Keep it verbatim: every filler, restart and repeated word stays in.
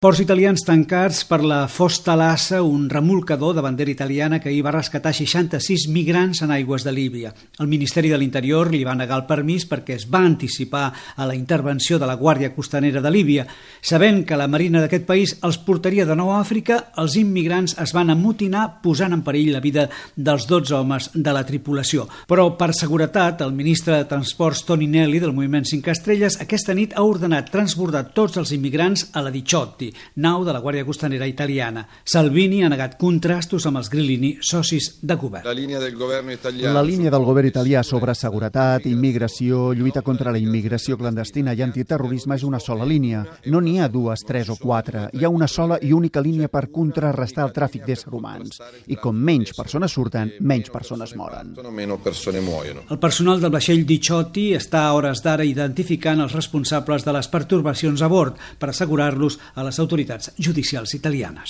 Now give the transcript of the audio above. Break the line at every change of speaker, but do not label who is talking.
Ports italians tancats per la Fosta Lassa, un remolcador de bandera italiana que ahir va rescatar seixanta-sis migrants en aigües de Líbia. El Ministeri de l'Interior li va negar el permís perquè es va anticipar a la intervenció de la Guàrdia Costanera de Líbia. Sabent que la marina d'aquest país els portaria de nou a Àfrica, els immigrants es van amotinar posant en perill la vida dels dotze homes de la tripulació. Però per seguretat, el ministre de Transports Toninelli del Moviment cinc Estrelles aquesta nit ha ordenat transbordar tots els immigrants a la Diciotti, nau de la Guàrdia Costanera italiana. Salvini ha negat contrastos amb els Grillini, socis de govern.
La línia del govern italià,
la línia del govern italià sobre seguretat, immigració, lluita contra la immigració clandestina i antiterrorisme és una sola línia. No n'hi ha dues, tres o quatre. Hi ha una sola i única línia per contrarrestar el tràfic d'éssers humans. I com menys persones surten, menys persones moren.
El personal del vaixell Diciotti està a hores d'ara identificant els responsables de les pertorbacions a bord per assegurar-los a les autoritats judicials italianes.